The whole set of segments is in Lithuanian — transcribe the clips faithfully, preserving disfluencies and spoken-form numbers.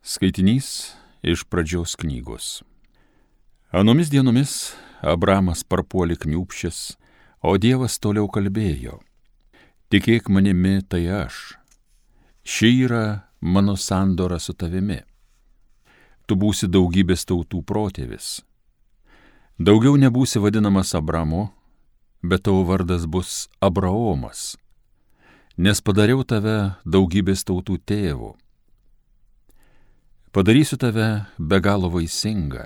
Skaitinys iš Pradžios knygos. Anomis dienomis Abramas parpuolė kniūpsčias, o Dievas toliau kalbėjo: Tikėk manimi, tai aš. Ši yra mano sandora su tavimi. Tu būsi daugybės tautų protėvis. Daugiau nebūsi vadinamas Abramu, bet tavo vardas bus Abraomas, nes padariau tave daugybės tautų tėvu. Padarysiu tave be galo vaisingą,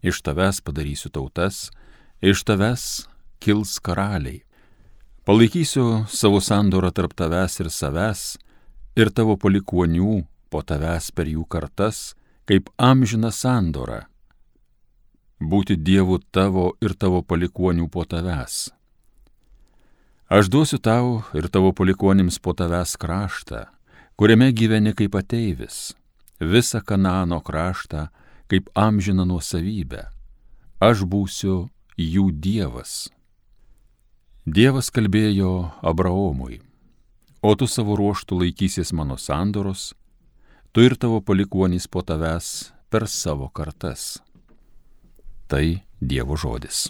iš tavęs padarysiu tautas, iš tavęs kils karaliai. Palaikysiu savo sandorą tarp tavęs ir savęs, ir tavo palikuonių po tavęs per jų kartas, kaip amžina sandora. Būti Dievu tavo ir tavo palikuonių po tavęs. Aš duosiu tau ir tavo palikuonims po tavęs kraštą, kuriame gyveni kaip ateivis, visą Kanaano kraštą kaip amžiną nuosavybę. Aš būsiu jų Dievas. Dievas kalbėjo Abraomui: O tu savo ruožtu laikysies mano sandoros, tu ir tavo palikuonys po tavęs per savo kartas. Tai Dievo žodis.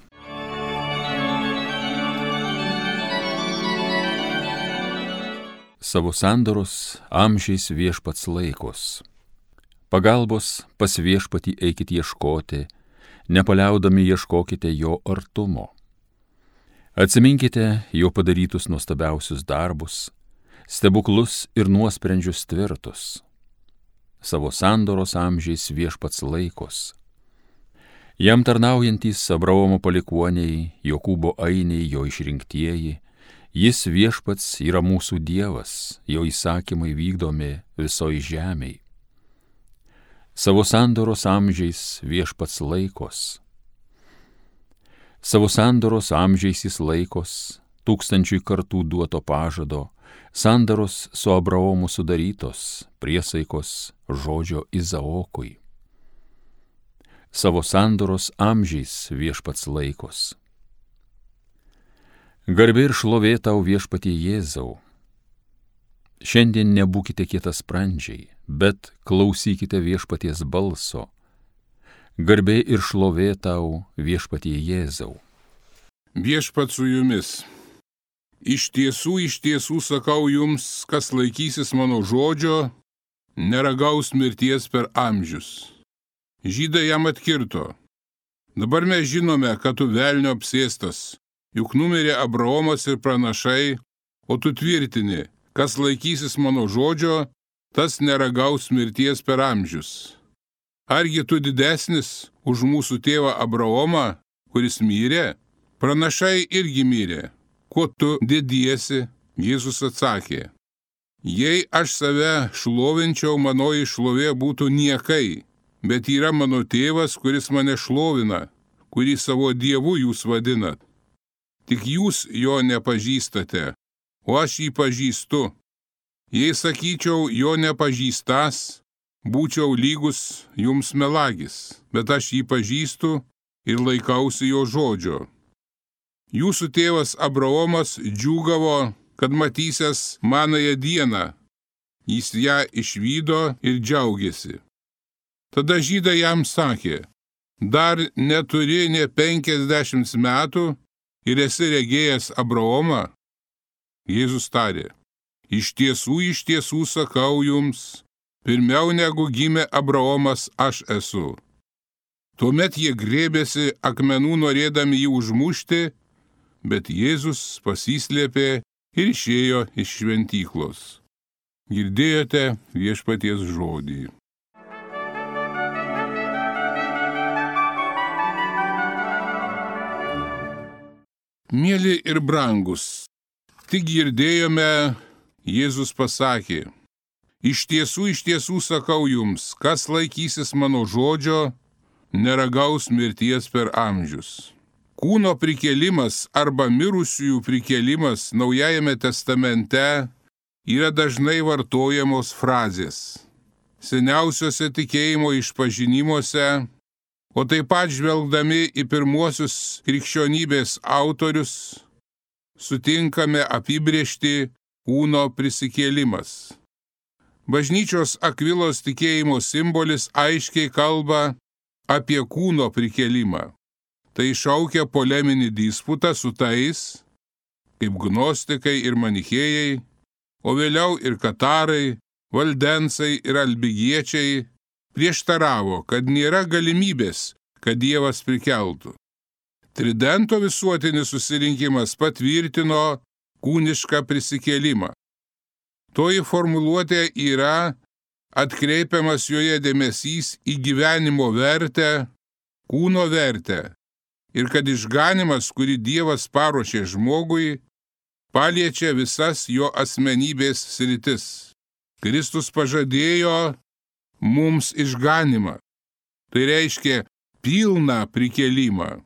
Savo sandoros amžiais viešpats laikos. Pagalbos pas viešpatį eikit ieškoti, nepaliaudami ieškokite jo artumo. Atsiminkite jo padarytus nuostabiausius darbus, stebuklus ir nuosprendžius tvirtus. Savo sandoros amžiais viešpats laikos. Jam tarnaujantys Abraomo palikuoniai, Jokūbo ainiai, jo išrinktieji, jis viešpats yra mūsų Dievas, jo įsakymai vykdomi visoj žemėj. Savo sandoros amžiais viešpats laikos. Savo sandoros amžiais jis laikos, tūkstančiui kartų duoto pažado, sandoros su Abraomu sudarytos, priesaikos žodžio Izaokui. Savo sandoros amžiais viešpats laikos. Garbė ir šlovė tau, viešpatie Jėzau. Šiandien nebūkite kietasprandžiai, bet klausykite viešpaties balso. Garbė ir šlovė tau, viešpatie Jėzau. Viešpat su jumis. Iš tiesų, iš tiesų sakau jums, kas laikysis mano žodžio, neragaus mirties per amžius. Žydai jam atkirto: Dabar mes žinome, kad tu velnio apsėstas, juk numirė Abraomas ir pranašai, o tu tvirtini: kas laikysis mano žodžio, tas neragaus mirties per amžius. Argi tu didesnis už mūsų tėvą Abraomą, kuris mirė? Pranašai irgi mirė. Kuo tu dediesi? Jėzus atsakė: Jei aš save šlovinčiau, manoji šlovė būtų niekai, bet yra mano tėvas, kuris mane šlovina, kurį savo Dievu jūs vadinat. Tik jūs jo nepažįstate, o aš jį pažįstu. Jei sakyčiau jo nepažįstas, būčiau lygus jums melagis, bet aš jį pažįstu ir laikausi jo žodžio. Jūsų tėvas Abraomas džiūgavo, kad matysės manąją dieną. Jis ją išvydo ir džiaugėsi. Tada žydai jam sakė: Dar neturi nė penkiasdešimt metų ir esi regėjęs Abraomą? Jėzus tarė: Iš tiesų, iš tiesų sakau jums, pirmiau negu gimė Abraomas, aš esu. Tuomet jie grėbėsi akmenų norėdami jį užmušti, bet Jėzus pasislėpė ir išėjo iš šventyklos. Girdėjote viešpaties žodį. Mieli ir brangus, tik girdėjome, Jėzus pasakė: Iš tiesų, iš tiesų sakau jums, kas laikysis mano žodžio, neragaus mirties per amžius. Kūno prikėlimas arba mirusiųjų prikėlimas Naujajame testamente yra dažnai vartojamos frazės. Seniausiuose tikėjimo išpažinimuose, o taip pat žvelgdami į pirmuosius krikščionybės autorius, sutinkame apibrėžti kūno prisikėlimas. Bažnyčios Akvilos tikėjimo simbolis aiškiai kalba apie kūno prikėlimą. Tai šaukia poleminį disputą su tais, kaip gnostikai ir manichėjai, o vėliau ir katarai, valdensai ir albigiečiai prieštaravo, kad nėra galimybės, kad Dievas prikeltų. Tridento visuotinis susirinkimas patvirtino kūnišką prisikėlimą. Toji formuluotė yra atkreipiamas joje dėmesys į gyvenimo vertę, kūno vertę ir kad išganymas, kurį Dievas paruošė žmogui, paliečia visas jo asmenybės sritis. Kristus pažadėjo mums išganymą. Tai reiškia pilną prikėlimą.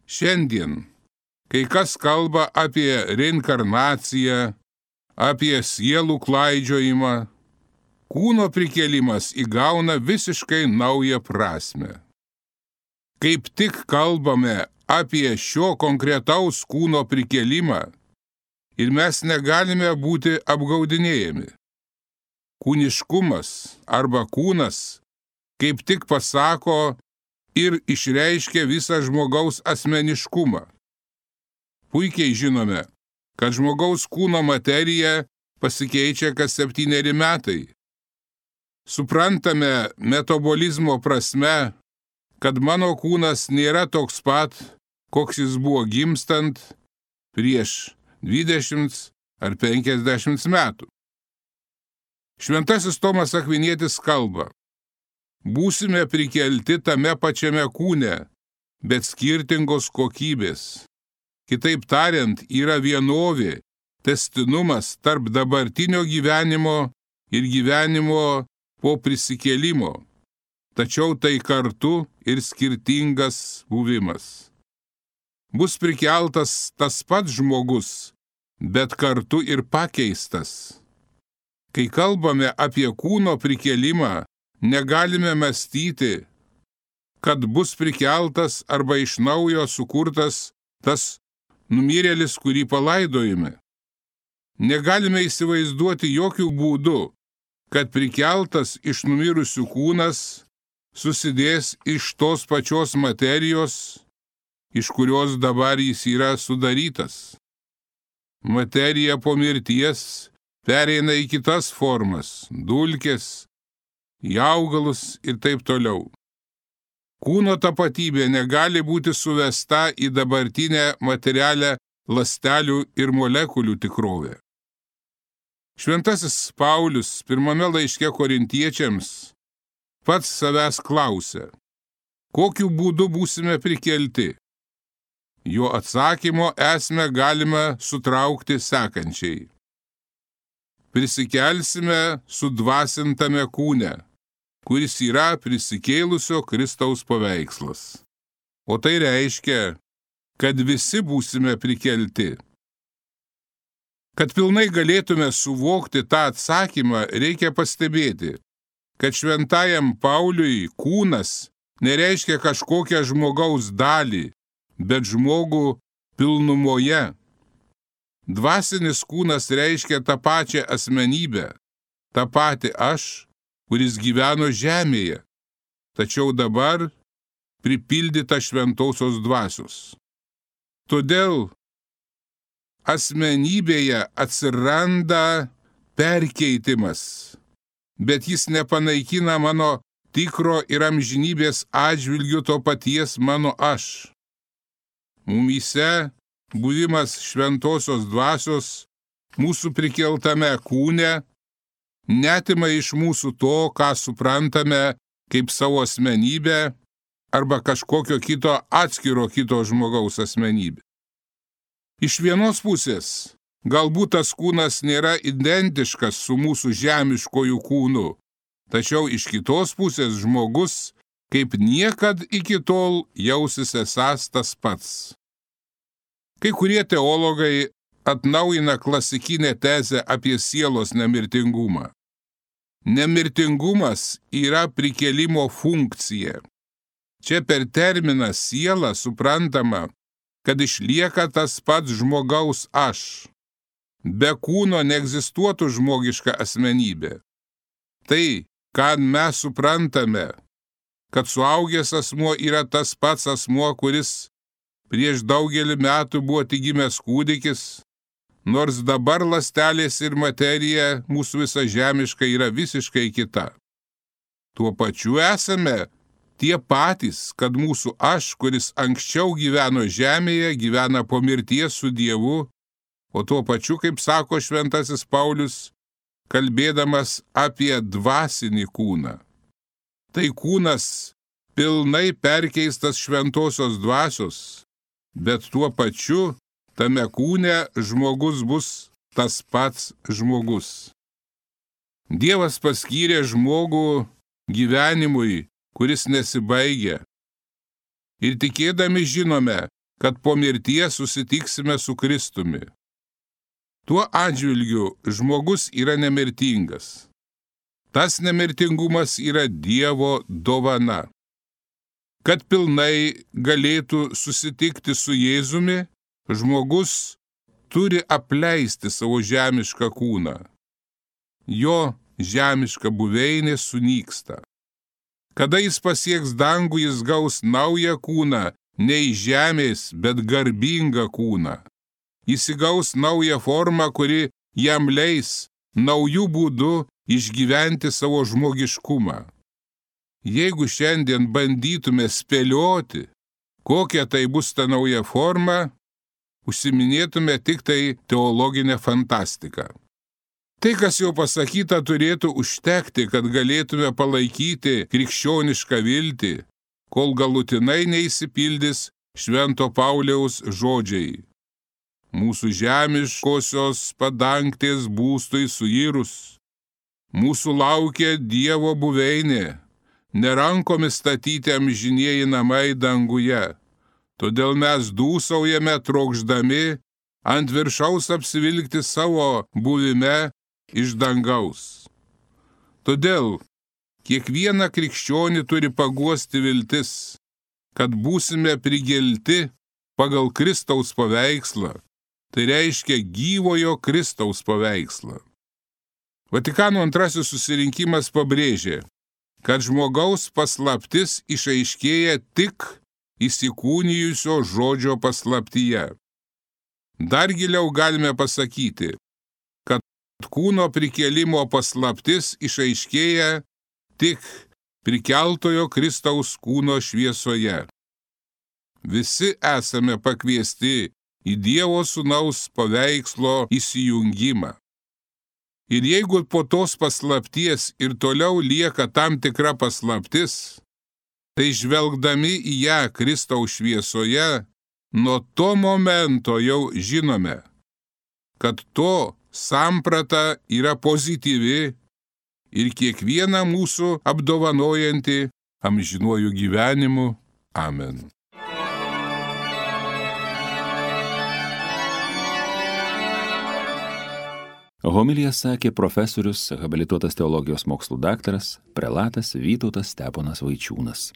Šiandien, kai kas kalba apie reinkarnaciją, apie sielų klaidžiojimą, kūno prikėlimas įgauna visiškai naują prasme. Kaip tik kalbame apie šio konkretaus kūno prikėlimą ir mes negalime būti apgaudinėjami. Kūniškumas arba kūnas kaip tik pasako ir išreiškia visą žmogaus asmeniškumą. Puikiai žinome, kad žmogaus kūno materija pasikeičia kas septyneri metai. Suprantame metabolizmo prasme, kad mano kūnas nėra toks pat, koks jis buvo gimstant prieš dvidešimt ar penkiasdešimt metų. Šventasis Tomas Akvinietis kalba: būsime prikelti tame pačiame kūne, bet skirtingos kokybės. Kitaip tariant, yra vienovė, tęstinumas tarp dabartinio gyvenimo ir gyvenimo po prisikėlimo, tačiau tai kartu ir skirtingas buvimas. Bus prikeltas tas pats žmogus, bet kartu ir pakeistas. Kai kalbame apie kūno prikėlimą, negalime mąstyti, kad bus prikeltas arba iš naujo sukurtas tas numirėlis, kurį palaidojame. Negalime įsivaizduoti jokių būdų, kad prikeltas iš numirusių kūnas susidės iš tos pačios materijos, iš kurios dabar jis yra sudarytas. Materija po mirties pereina į kitas formas – dulkes, į augalus ir taip toliau. Kūno tapatybė negali būti suvesta į dabartinę materialią ląstelių ir molekulių tikrovę. Šventasis Paulius pirmame laiške korintiečiams pats savęs klausia, kokiu būdu būsime prikelti. Jo atsakymo esmę galime sutraukti sekančiai. Prisikelsime sudvasintame kūne, kuris yra prisikėlusio Kristaus paveikslas. O tai reiškia, kad visi būsime prikelti. Kad pilnai galėtume suvokti tą atsakymą, reikia pastebėti, kad šventajam Pauliui kūnas nereiškia kažkokią žmogaus dalį, bet žmogų pilnumoje. Dvasinis kūnas reiškia tą pačią asmenybę, tą patį aš, kuris gyveno žemėje, tačiau dabar pripildyta šventosios dvasios. Todėl asmenybėje atsiranda perkeitimas, bet jis nepanaikina mano tikro ir amžinybės atžvilgiu to paties mano aš. Mumyse buvimas šventosios dvasios mūsų prikeltame kūne netima iš mūsų to, ką suprantame kaip savo asmenybę arba kažkokio kito atskiro kito žmogaus asmenybę. Iš vienos pusės, galbūt tas kūnas nėra identiškas su mūsų žemiškojų kūnu, tačiau iš kitos pusės žmogus kaip niekad iki tol jausis esąs tas pats. Kai kurie teologai atnaujina klasikinę tezę apie sielos nemirtingumą. Nemirtingumas yra prikėlimo funkcija. Čia per terminą siela suprantama, kad išlieka tas pats žmogaus aš. Be kūno neegzistuotų žmogiška asmenybė. tai, ką mes suprantame, kad suaugęs asmuo yra tas pats asmuo, kuris prieš daugelį metų buvo tik gimęs kūdikis, nors dabar ląstelės ir materija mūsų visa žemiška yra visiškai kita. Tuo pačiu esame tie patys, kad mūsų aš, kuris anksčiau gyveno žemėje, gyvena po mirties su Dievu, o tuo pačiu, kaip sako šventasis Paulius, kalbėdamas apie dvasinį kūną. Tai kūnas pilnai perkeistas šventosios dvasios, bet tuo pačiu tame kūne žmogus bus tas pats žmogus. Dievas paskyrė žmogų gyvenimui, kuris nesibaigia. Ir tikėdami žinome, kad po mirties susitiksime su Kristumi. Tuo atžvilgiu žmogus yra nemirtingas. Tas nemirtingumas yra Dievo dovana. Kad pilnai galėtų susitikti su Jėzumi, žmogus turi apleisti savo žemišką kūną. Jo žemiška buveinė sunyksta. Kada jis pasieks dangų, jis gaus naują kūną, ne iš žemės, bet garbingą kūną. Jis įgaus naują formą, kuri jam leis naujų būdų išgyventi savo žmogiškumą. Jeigu šiandien bandytume spėlioti, kokia tai bus ta nauja forma, užsiminėtume tik tai teologinę fantastiką. Tai, kas jau pasakyta, turėtų užtekti, kad galėtume palaikyti krikščionišką viltį, kol galutinai neįsipildys Švento Pauliaus žodžiai. Mūsų žemiškosios padangtės būstui suirus. Mūsų laukia Dievo buveinė, nerankomis statyti amžinieji namai danguje. Todėl mes dūsaujame trokšdami ant viršaus apsivilkti savo buvime iš dangaus. Todėl kiekvieną krikščionį turi paguosti viltis, kad būsime prigelti pagal Kristaus paveikslą, tai reiškia gyvojo Kristaus paveikslą. Vatikano antrasis susirinkimas pabrėžė, kad žmogaus paslaptis išaiškėja tik įsikūnijusio žodžio paslaptyje. Dar giliau galime pasakyti, kad kūno prikėlimo paslaptis išaiškėja tik prikeltojo Kristaus kūno šviesoje. Visi esame pakviesti į Dievo Sūnaus paveikslo įsijungimą. Ir jeigu po tos paslapties ir toliau lieka tam tikra paslaptis, tai žvelgdami į ją Kristaus šviesoje, nuo to momento jau žinome, kad to samprata yra pozityvi ir kiekvieną mūsų apdovanojanti amžinuoju gyvenimu. Amen. Homiliją sakė profesorius, habilituotas teologijos mokslų daktaras, prelatas Vytautas Steponas Vaičiūnas.